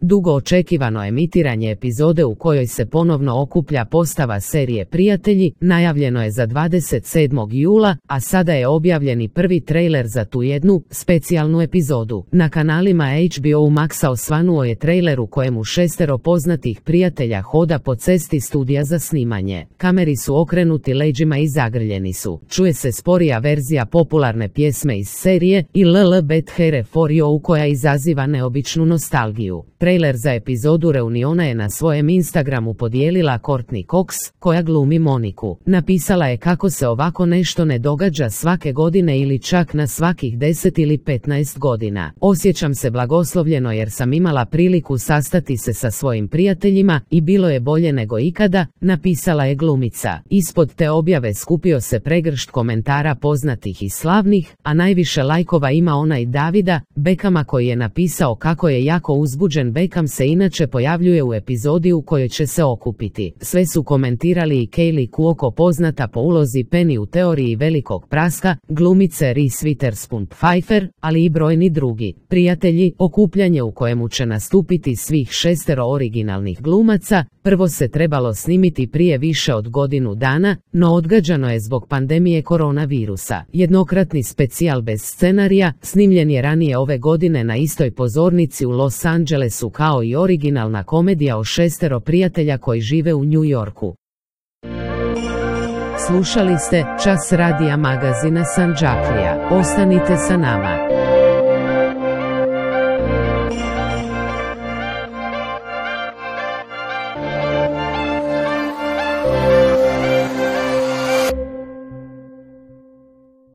Dugo očekivano emitiranje epizode u kojoj se ponovno okuplja postava serije Prijatelji najavljeno je za 27. jula, a sada je objavljeni prvi trailer za tu jednu specijalnu epizodu. Na kanalima HBO Maxa osvanuo je trailer u kojemu 6 poznatih prijatelja hoda po cesti studija za snimanje. Kameri su okrenuti leđima i zagrljeni su. Čuje se sporija verzija popularne pjesme iz serije i LL Bet Here For You koja izaziva neobičnu nostalgiju. Trailer za epizodu reuniona je na svojem Instagramu podijelila Courtney Cox, koja glumi Moniku. Napisala je kako se ovako nešto ne događa svake godine ili čak na svakih 10 ili 15 godina. Osjećam se blagoslovljeno jer sam imala priliku sastati se sa svojim prijateljima i bilo je bolje nego ikada, napisala je glumica. Ispod te objave skupio se pregršt komentara poznatih i slavnih, a najviše lajkova ima onaj Davida Beckhama koji je napisao kako je jako uzbuđen. Beckham se inače pojavljuje u epizodi u kojoj će se okupiti. Sve su komentirali i Kaylee Cuoco, poznata po ulozi Penny u Teoriji velikog praska, glumice Reese Witherspoon Pfeiffer, ali i brojni drugi. Prijatelji, okupljanje u kojemu će nastupiti svih 6 originalnih glumaca, prvo se trebalo snimiti prije više od godinu dana, no odgađano je zbog pandemije koronavirusa. Jednokratni specijal bez scenarija snimljen je ranije ove godine na istoj pozornici u Los Angelesu kao i originalna komedija o 6 prijatelja koji žive u New Yorku. Slušali ste Čas radija magazina Sandžaklija. Ostanite sa nama.